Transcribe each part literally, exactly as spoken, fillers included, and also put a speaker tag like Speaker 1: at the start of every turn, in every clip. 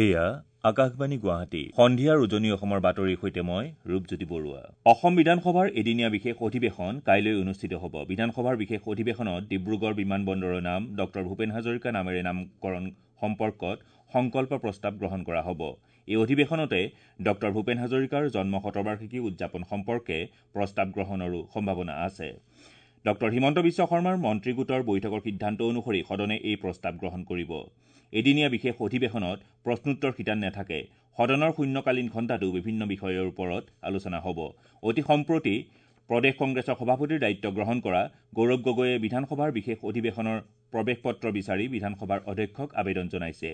Speaker 1: এয়া আকাশবাণী গুৱাহাটী। সন্ধিয়াৰ উজনি অসমৰ বাতৰিৰ সৈতে মই ৰূপজ্যোতি বৰুৱা। অসম বিধানসভাৰ এদিনীয়া বিশেষ অধিৱেশন কাইলৈ অনুষ্ঠিত হ'ব। বিধানসভাৰ বিশেষ অধিৱেশনত ডিব্ৰুগড় বিমান বন্দৰৰ নাম ডক্টৰ ভূপেন হাজৰিকা নামেৰে নামকৰণ সম্পৰ্কত সংকল্প প্ৰস্তাৱ গ্ৰহণ কৰা হ'ব। এই অধিৱেশনতে ডক্টৰ ভূপেন হাজৰিকাৰ জন্ম শতবাৰ্ষিকী উদযাপন সম্পৰ্কে প্ৰস্তাৱ গ্ৰহণৰো সম্ভাৱনা আছে। ডক্টৰ হিমন্ত বিশ্ব শৰ্মাৰ মন্ত্ৰীগোটৰ বৈঠকৰ সিদ্ধান্ত অনুসৰি সদনে এই প্ৰস্তাৱ গ্ৰহণ কৰিব। এদিনীয়া বিশেষ অধিৱেশনত প্ৰশ্নোত্তৰ শিতান নাথাকে। সদনৰ শূন্যকালীন ঘণ্টাতো বিভিন্ন বিষয়ৰ ওপৰত আলোচনা হ'ব। অতি সম্প্ৰতি প্ৰদেশ কংগ্ৰেছৰ সভাপতিৰ দায়িত্ব গ্ৰহণ কৰা গৌৰৱ গগৈয়ে বিধানসভাৰ বিশেষ অধিৱেশনৰ প্ৰৱেশ পত্ৰ বিচাৰি বিধানসভাৰ অধ্যক্ষক আবেদন জনাইছে।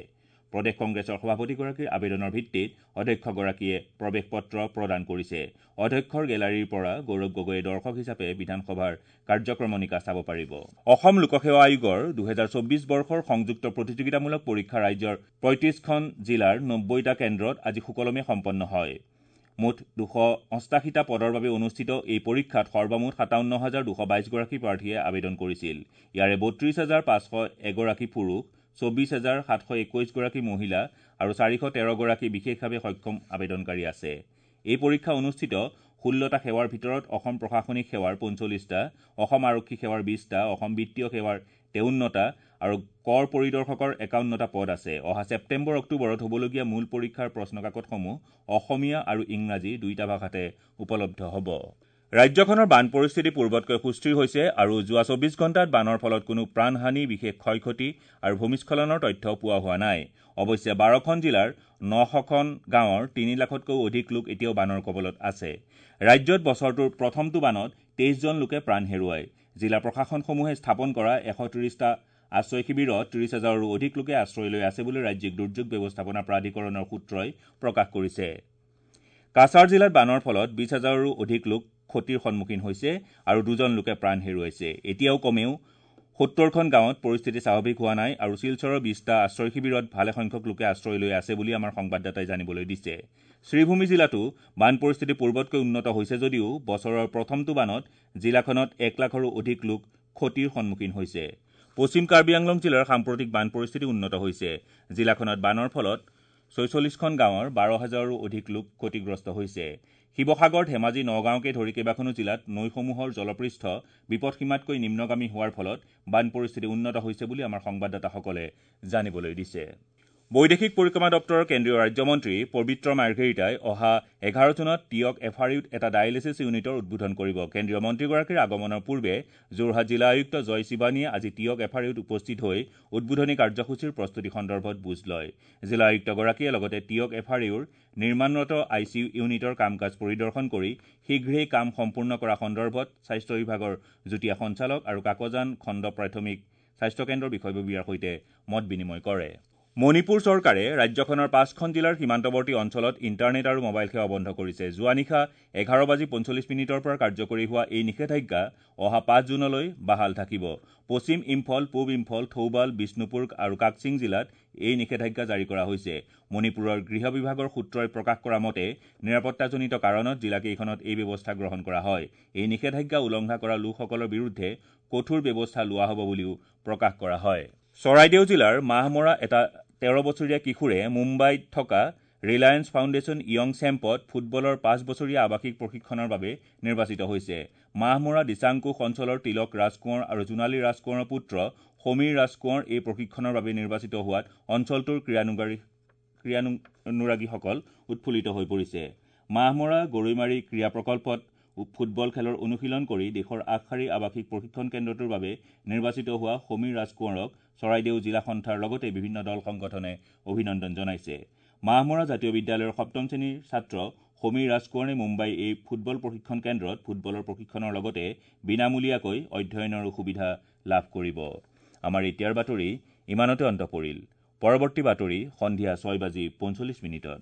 Speaker 1: প্ৰদেশ কংগ্ৰেছৰ সভাপতিগৰাকীৰ আবেদনৰ ভিত্তিত অধ্যক্ষগৰাকীয়ে প্ৰৱেশ পত্ৰ প্ৰদান কৰিছে। অধ্যক্ষৰ গেলাৰীৰ পৰা গৌৰৱ গগৈয়ে দৰ্শক হিচাপে বিধানসভাৰ কাৰ্যক্ৰমণিকা চাব পাৰিব। অসম লোকসেৱা আয়োগৰ দুহেজাৰ চৌব্বিছ বৰ্ষৰ সংযুক্ত প্ৰতিযোগিতামূলক পৰীক্ষা ৰাজ্যৰ পঁয়ত্ৰিছখন জিলাৰ নব্বৈটা কেন্দ্ৰত আজি সুকলমে সম্পন্ন হয়। মুঠ দুশ অষ্টাশীটা পদৰ বাবে অনুষ্ঠিত এই পৰীক্ষাত সৰ্বমুঠ সাতাৱন্ন হাজাৰ দুশ বাইছগৰাকী প্ৰাৰ্থীয়ে আবেদন কৰিছিল। ইয়াৰে বত্ৰিছ হাজাৰ পাঁচশ এগৰাকী পুৰুষ, চৌব্বিছ হাজাৰ সাতশ একৈছগৰাকী মহিলা আৰু চাৰিশ তেৰগৰাকী বিশেষভাৱে সক্ষম আবেদনকাৰী আছে। এই পৰীক্ষা অনুষ্ঠিত ষোল্লটা সেৱাৰ ভিতৰত অসম প্ৰশাসনিক সেৱাৰ পঞ্চল্লিছটা, অসম আৰক্ষী সেৱাৰ বিছটা, অসম বিত্তীয় সেৱাৰ তেৱন্নটা আৰু কৰ পৰিদৰ্শকৰ একাৱন্নটা পদ আছে। অহা ছেপ্টেম্বৰ অক্টোবৰত হ'বলগীয়া মূল পৰীক্ষাৰ প্ৰশ্নকাকতসমূহ অসমীয়া আৰু ইংৰাজী দুয়োটা ভাষাতে উপলব্ধ হ'ব। ৰাজ্যখনৰ বান পৰিস্থিতি পূৰ্বতকৈ সুস্থিৰ হৈছে আৰু যোৱা চৌব্বিছ ঘণ্টাত বানৰ ফলত কোনো প্ৰাণহানি, বিশেষ ক্ষয় ক্ষতি আৰু ভূমিস্খলনৰ তথ্য পোৱা হোৱা নাই। অৱশ্যে বাৰখন জিলাৰ নশখন গাঁৱৰ তিনি লাখতকৈও অধিক লোক এতিয়াও বানৰ কবলত আছে। ৰাজ্যত বছৰটোৰ প্ৰথমটো বানত তেইছজন লোকে প্ৰাণ হেৰুৱায়। জিলা প্ৰশাসনসমূহে স্থাপন কৰা এশ ত্ৰিছটা আশ্ৰয় শিবিৰত ত্ৰিছ হাজাৰৰো অধিক লোকে আশ্ৰয় লৈ আছে বুলি ৰাজ্যিক দুৰ্যোগ ব্যৱস্থাপনা প্ৰাধিকৰণৰ সূত্ৰই প্ৰকাশ কৰিছে। কাছাৰ জিলাত বানৰ ফলত বিছ হাজাৰৰো অধিক লোক ক্ষতিৰ সন্মুখীন হৈছে আৰু দুজন লোকে প্ৰাণ হেৰুৱাইছে। এতিয়াও কমেও সত্তৰখন গাঁৱত পৰিস্থিতি স্বাভাৱিক হোৱা নাই আৰু শিলচৰৰ বিছটা আশ্ৰয় শিবিৰত ভালেসংখ্যক লোকে আশ্ৰয় লৈ আছে বুলি আমাৰ সংবাদদাতাই জানিবলৈ দিছে। শ্ৰীভূমি জিলাতো বান পৰিস্থিতি পূৰ্বতকৈ উন্নত হৈছে যদিও বছৰৰ প্ৰথমটো বানত জিলাখনত এক লাখৰো অধিক লোক ক্ষতিৰ সন্মুখীন হৈছে। পশ্চিম কাৰ্বি আংলং জিলাৰ সাম্প্ৰতিক বান পৰিস্থিতি উন্নত হৈছে। জিলাখনত বানৰ ফলত ছয়চল্লিছখন গাঁৱৰ বাৰ হাজাৰৰো অধিক লোক ক্ষতিগ্ৰস্ত হৈছে। শিৱসাগৰ, ধেমাজি, নগাঁওকে ধৰি কেইবাখনো জিলাত নৈসমূহৰ জলপৃষ্ঠ বিপদসীমাতকৈ নিম্নগামী হোৱাৰ ফলত বান পৰিস্থিতি উন্নত হৈছে বুলি আমাৰ সংবাদদাতাসকলে জানিবলৈ দিছে। বৈদেশিক পৰিক্ৰমা দপ্তৰৰ কেন্দ্ৰীয় ৰাজ্যমন্ত্ৰী পবিত্ৰ মাৰ্ঘেৰিটাই অহা এঘাৰ জুনত টীয়ক এফ আৰ ইউত এটা ডায়েলিছিছ ইউনিটৰ উদ্বোধন কৰিব। কেন্দ্ৰীয় মন্ত্ৰীগৰাকীৰ আগমনৰ পূৰ্বে যোৰহাট জিলা আয়ুক্ত জয় শিৱানীয়ে আজি টীয়ক এফ আৰ ইউত উপস্থিত হৈ উদ্বোধনী কাৰ্যসূচীৰ প্ৰস্তুতি সন্দৰ্ভত বুজ লয়। জিলা আয়ুক্তগৰাকীয়ে লগতে টীয়ক এফ আৰ ইউৰ নিৰ্মাণৰত I C U ইউনিটৰ কাম কাজ পৰিদৰ্শন কৰি শীঘ্ৰেই কাম সম্পূৰ্ণ কৰা সন্দৰ্ভত স্বাস্থ্য বিভাগৰ যুটীয়া সঞ্চালক আৰু কাকজান খণ্ড প্ৰাথমিক স্বাস্থ্যকেন্দ্ৰৰ বিষয়ববীয়াৰ সৈতে মত বিনিময় কৰে। মণিপুৰ চৰকাৰে ৰাজ্যখনৰ পাঁচখন জিলাৰ সীমান্তৱৰ্তী অঞ্চলত ইণ্টাৰনেট আৰু মোবাইল সেৱা বন্ধ কৰিছে। যোৱা নিশা এঘাৰ বাজি পঞ্চল্লিছ মিনিটৰ পৰা কাৰ্যকৰী হোৱা এই নিষেধাজ্ঞা অহা পাঁচ জুনলৈ বাহাল থাকিব। পশ্চিম ইম্ফল, পূব ইম্ফল, থৌবাল, বিষ্ণুপুৰ আৰু কাকচিং জিলাত এই নিষেধাজ্ঞা জাৰি কৰা হৈছে। মণিপুৰৰ গৃহ বিভাগৰ সূত্ৰই প্ৰকাশ কৰা মতে নিৰাপত্তাজনিত কাৰণত জিলাকেইখনত এই ব্যৱস্থা গ্ৰহণ কৰা হয়। এই নিষেধাজ্ঞা উলংঘা কৰা লোকসকলৰ বিৰুদ্ধে কঠোৰ ব্যৱস্থা লোৱা হ'ব বুলিও প্ৰকাশ কৰা হয়। চৰাইদেউ জিলাৰ মাহমৰা এটা তেৰ বছৰীয়া কিশোৰে মুম্বাইত থকা ৰিলায়েন্স ফাউণ্ডেশ্যন য়ং চেম্পত ফুটবলৰ পাঁচ বছৰীয়া আৱাসিক প্ৰশিক্ষণৰ বাবে নিৰ্বাচিত হৈছে। মাহমৰা দিচাংকোষ অঞ্চলৰ তিলক ৰাজকোঁৱৰ আৰু জোনালী ৰাজকোঁৱৰৰ পুত্ৰ সমীৰ ৰাজকোঁৱৰ এই প্ৰশিক্ষণৰ বাবে নিৰ্বাচিত হোৱাত অঞ্চলটোৰ ক্ৰীড়ানুগাৰী ক্ৰীড়ানুৰাগীসকল উৎফুল্লিত হৈ পৰিছে। মাহমৰা গৰৈমাৰী ক্ৰীড়া প্ৰকল্পত ফুটবল খেলৰ অনুশীলন কৰি দেশৰ আগশাৰীৰ আৱাসিক প্ৰশিক্ষণ কেন্দ্ৰটোৰ বাবে নিৰ্বাচিত হোৱা সমীৰ ৰাজকোঁৱৰক চৰাইদেউ জিলা সন্থাৰ লগতে বিভিন্ন দল সংগঠনে অভিনন্দন জনাইছে। মাহমৰা জাতীয় বিদ্যালয়ৰ সপ্তম শ্ৰেণীৰ ছাত্ৰ সমীৰ ৰাজকোঁৱৰে মুম্বাই এই ফুটবল প্ৰশিক্ষণ কেন্দ্ৰত ফুটবলৰ প্ৰশিক্ষণৰ লগতে বিনামূলীয়াকৈ অধ্যয়নৰো সুবিধা লাভ কৰিব। আমাৰ এতিয়াৰ বাতৰি ইমানতে অন্ত পৰিল। পৰৱৰ্তী বাতৰি সন্ধিয়া ছয় বাজি পঞ্চল্লিছ মিনিটত।